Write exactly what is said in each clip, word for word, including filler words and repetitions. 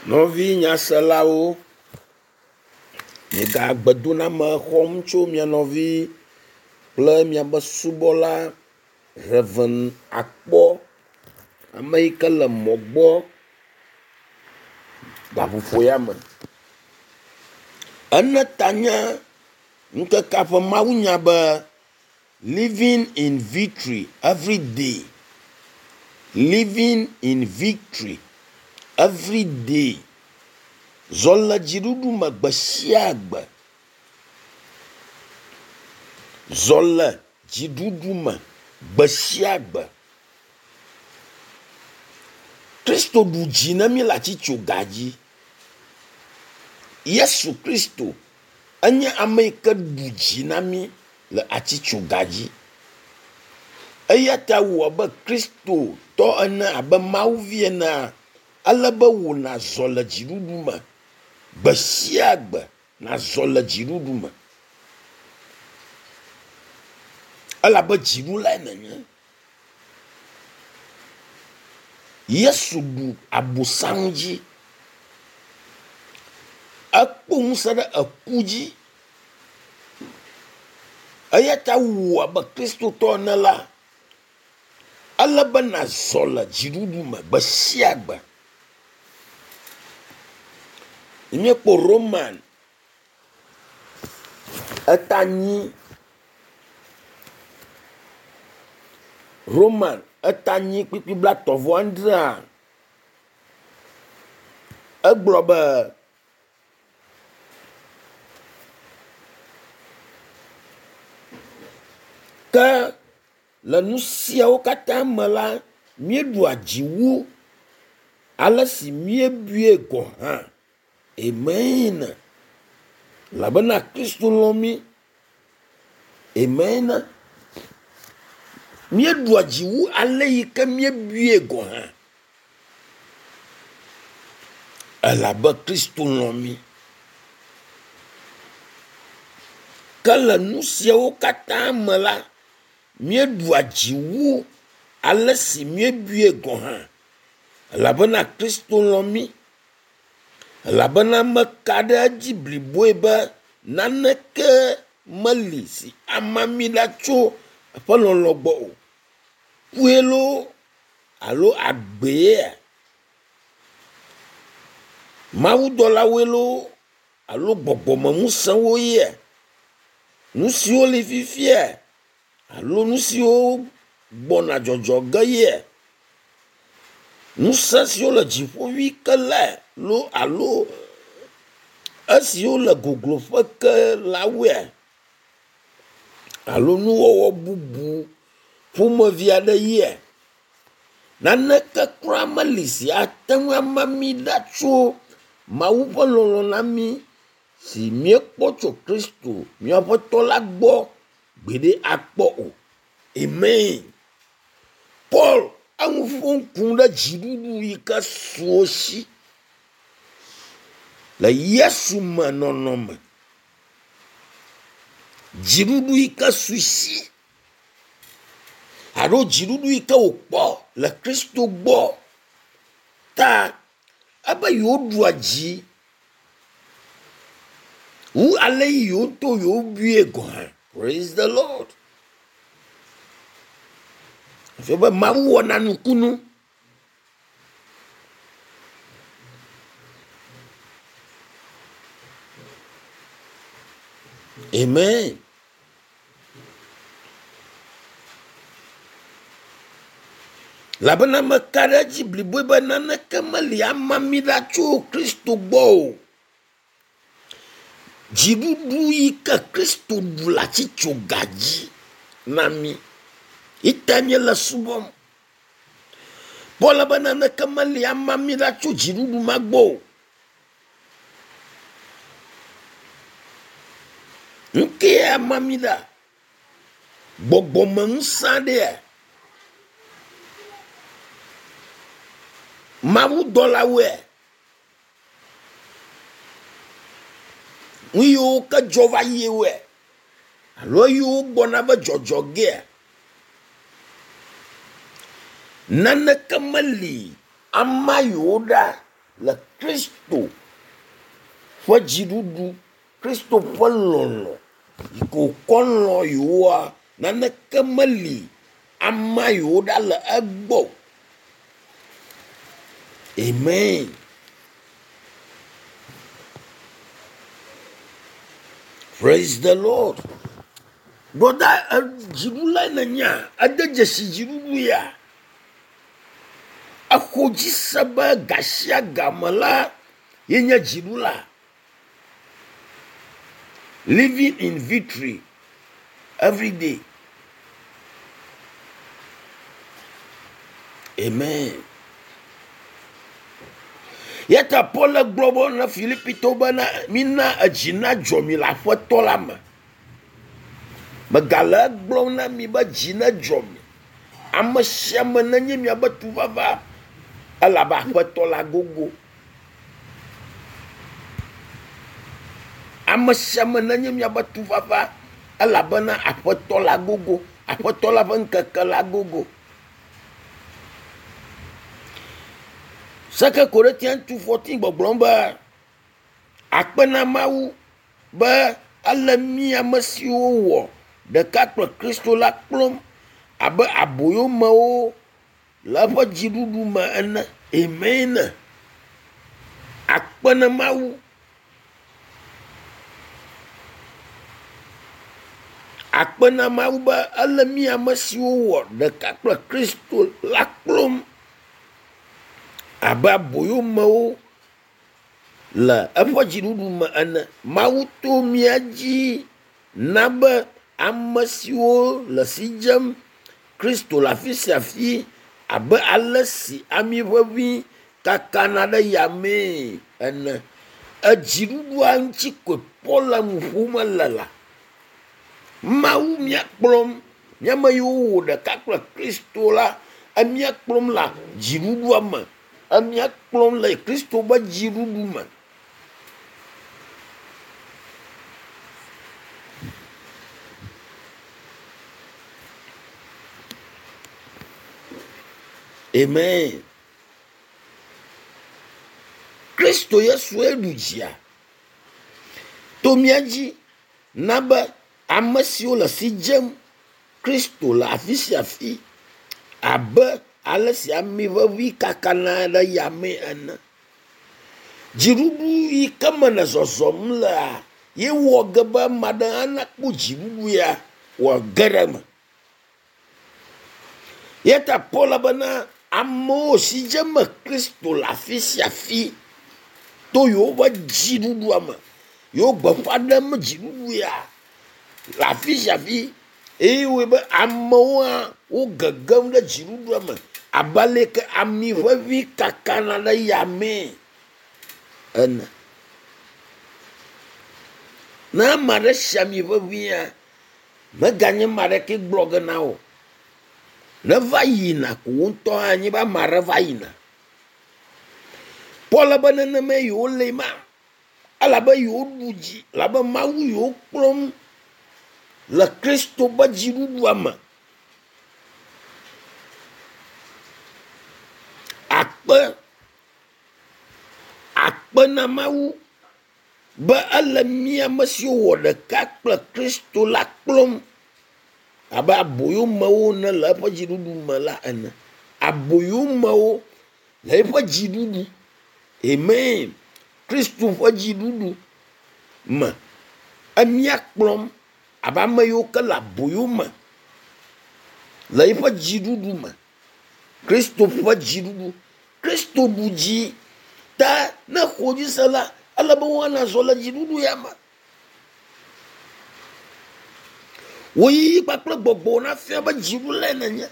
Nɔvi nyaselawo, miega gbedoname xɔm tso mia nɔvi kple miabe subɔla Rev. Akpɔ, ame yi ke le mɔ gbɔ gaƒoƒo ya me. Ene ta nye ŋkekea ƒe mawunya be “Living in victory every day, living in victory every day” Zɔ le dziɖuɖu me gbe sia gbe. Zɔ le dziɖuɖu me gbe sia gbe. Kristo ɖu dzi na mí le atitsoga dzi. Yesu Kristo enye ame yi ke ɖu dzi na mí le atitsoga dzi. Eya ta wò abe Kristotɔ ene abe Mawu vi enea, ele be wò nàzɔ le dziɖuɖu me gbe sia gbe nàzɔ le dziɖuɖu me elabe dziɖulae nènye. Yesu ɖu Abosam dzi. Ekpɔ ŋusẽ ɖe eku dzi. Eya ta wò abe Kristotɔ ene la, ele be nàzɔ le dziɖuɖu me gbe sia gbe. Míekpɔ Roman eta nyi Roman eta nyi kpukpui blaetɔ̃ vɔ adrea, egblɔ be ke le nu siawo katã me la, míeɖua dzi wu ale si míebui gɔ̃ hã. Amen. Elabena Kristo lɔ̃ mí. Amen. Míeɖua dzi wu ale yi ke míebui gɔ̃ hã. Elabe Kristo lɔ̃ mí. Ke le nu siawo katã me la, míeɖua dzi wu ale si míebui gɔ̃ hã. Elabena Kristo lɔ̃ mí. Elabena meka ɖe edzi bliboe be naneke meli si ama mí ɖa tso eƒe lɔlɔ̃ gbɔ o. Kue loo alo agbeea? Mawudɔlawoe loo alo gbɔgbɔmeŋusẽwo yea? Nu siwo li fifia alo nu siwo gbɔna dzɔdzɔ ge yea? Ŋusẽ siwo le dziƒo ʋĩ ke lae loo alo esiwo le gogloƒe ke la woea? Alo nuwɔwɔ bubu ƒomevi aɖe yea? Naneke kura meli si ate ŋu ama mí ɖa tso Mawu ƒe lɔlɔ̃ na mí si míekpɔ tso Kristo mía Aƒetɔ la gbɔ gbeɖe akpɔ o. Amen. Paul eŋu ƒom ku ɖe dziɖuɖu yi ke su wo si le Yesu me nɔnɔme. Dziɖuɖu yi ke su si alo dziɖuɖu yi ke wòkpɔ le Kristo gbɔ ta ebe yewoɖua dzi wu ale yi yewo ŋutɔ yewobui gɔ̃ hã. Praise the Lord. Efia be Mawu wɔna nukunu. Amen. Elabena meka ɖe edzi bliboe be naneke meli ama mí ɖa tso Kristo gbɔ o. Dziɖuɖu yi ke Kristo ɖu le atitsoga dzi na mí. Ita míele subɔm. Paul be naneke meli ama mí ɖa tso dziɖuɖu ma gbɔ o. Nu kee ama mí ɖa? Gbɔgbɔmeŋusẽ aɖea? Mawudɔlawoea? Nu yiwo ke dzɔ va yie woea? Alo eyiwo gbɔna be dzɔdzɔ gea? Naneke meli ama yewo ɖa Le Kristo ƒe dziɖuɖu, Kristo ƒe lɔlɔ̃ yi ke wòkɔ lɔ̃ yewoa, naneke meli ama yewo ɖa le egbɔ. Amen. Praise the Lord. Brother, dziɖula nènyea? Ede dzesi dziɖuɖu ya. Exɔ dzi se be gasia game la ye nye dziɖula. Living in victory every day. Amen. Yata Paul gblɔ be na Filipitɔwo bena mina edzi nadzɔ mi le Aƒetɔ la me. Megale egblɔm na mi be dzi nedzɔ mi. Ame sia ame nenye miabe tufafa elabe Aƒetɔ la gogo. Ame sia ame nenye miabe tufafa elabena Aƒetɔ la gogo. Aƒetɔ la ƒe ŋkeke la gogo. Second Corinthians two fourteen gbɔgblɔm be akpe na Mawu be ele mi ame siwo wɔ ɖeka kple Kristo la kplɔm abe aboyomewo le eƒe dziɖuɖu me ene. Amen. Akpe na Mawu. Akpe na Mawu be ele mi ame siwo wɔ ɖeka kple Kristo la kplɔm abe aboyomewo le eƒe dziɖuɖu me ene. Mawu to mía dzi na be ame siwo le si dzem Kristo le afi sia afi abe ale si ami ʋeʋĩ kakana ɖe yamee ene. Edziɖuɖua ŋuti koe Paul le nu ƒom le la. Mawu mía kplɔm, míame yiwo wɔ ɖeka kple Kristo la, emía kplɔm le dziɖuɖua me. Emía kplɔm le Kristo ƒe dziɖuɖu me. Amen. Kristo Yesue ɖu dzia. To mía dzi na be ame siwo le si dzem Kristo le afi sia afi abe ale si ami ʋeʋĩ kakana ɖe yame ene. Dziɖuɖu yi ke me le zɔzɔm lea, ye wɔ ge be ame aɖe hã nakpɔ dziɖuɖu ya wòage ɖe eme. Eya ta Paul bena amewo si dzem Kristo le afi sia afi to yewoƒe dziɖuɖua me, yewo gbeƒã ɖem dziɖuɖu ya le afi sia afi eye wɔe be amewo hã wo gegem ɖe dziɖuɖua me abe ale ke ami ʋeʋĩ kakana ɖe yamee ene. Ne ame aɖe si ami ʋeʋĩa, meganye ame aɖeke gblɔ ge na wò. Ne va yina ko wo ŋutɔ hã nye be ame aɖe va yina. Paul be nenema yewo le ma elabe yewo ɖu dzi elabe Mawu yewo kplɔm le Kristo ƒe dziɖuɖua me. Akpe akpe na Mawu be ele mía ame siwo wɔ ɖeka kple Kristo la kplɔm abe aboyomewo ne le eƒe dziɖuɖu me la ene. Aboyomewo le eƒe dziɖuɖu. Amen. Kristo ƒe dziɖuɖu me. Emía kplɔm abe ame yiwo ke le aboyome le eƒe dziɖuɖu me. Kristo ƒe dziɖuɖu. Kristo ɖu dzi ta ne xɔ dzi se la, ele be woana zɔ le dziɖuɖu ya me. Wò yiyi kpakple gbɔgbɔ nafia be dziɖulae nènye.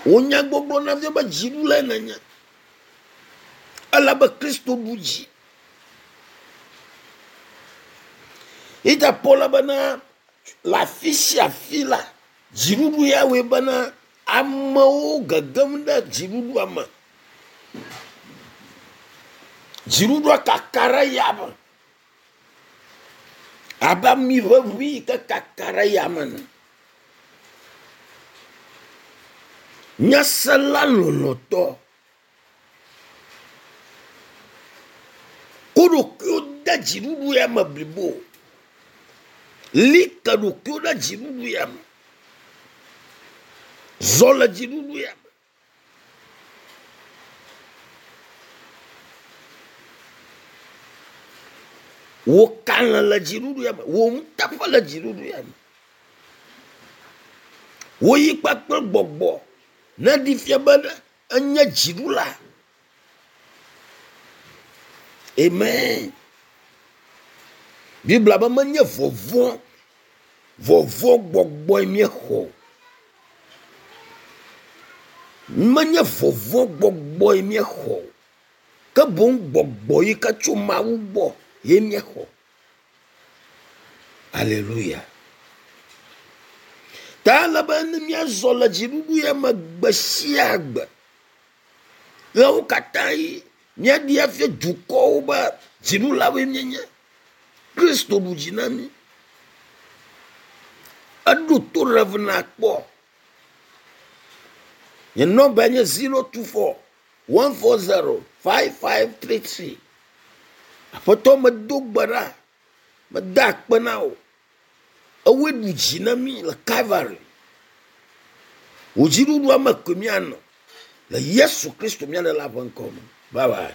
Wò nyagbɔgblɔ nafia be dziɖulae nènye. Elabe Kristo ɖu dzi. Ita Paul bena le afi sia afi la, dziɖuɖu ya wɔe bena amewo gegem ɖe dziɖuɖua me. Dziɖuɖua kaka ɖe yame abe ami ʋeʋĩ yi ke kaka ɖe yame ene. Nyasela lɔlɔ̃tɔ, ɖokuiwo de dziɖuɖu ya me blibo. Li ke ɖokuiwo ɖe dziɖuɖu ya me. Zɔ le dziɖuɖu ya me. Wò kalẽ le dziɖuɖu ya me. Wò ŋutaƒe le dziɖuɖu ya me. Wò yi kpakple gbɔgbɔ ne ɖi fia be enye dziɖula. Amen. Biblia be menye vɔvɔ̃ vɔvɔ̃ gbɔgbɔe míexɔ. Menye vɔvɔ̃ gbɔgbɔe míexɔ. Ke boŋ gbɔgbɔ yi ke tso Mawu gbɔ ye míexɔ. Alléluia. Ta ele be ne míazɔ le dziɖuɖu ya me gbe sia gbe. Ɣewo katã yi míaɖi afia dukɔwo be dziɖulawoe míenye. Kristo ɖu dzi na mí. Eɖo to Rev kpɔ. Nye nɔmba nye zero two four one four zero five five three three. Aƒetɔ medo gbe ɖa, meda akpe na wò. Ewoe ɖu dzi na mí le Calvary. Wò dziɖuɖua me koe míanɔ le Yesu Kristo mía Ɖela ƒe ŋkɔ me. Bye bye.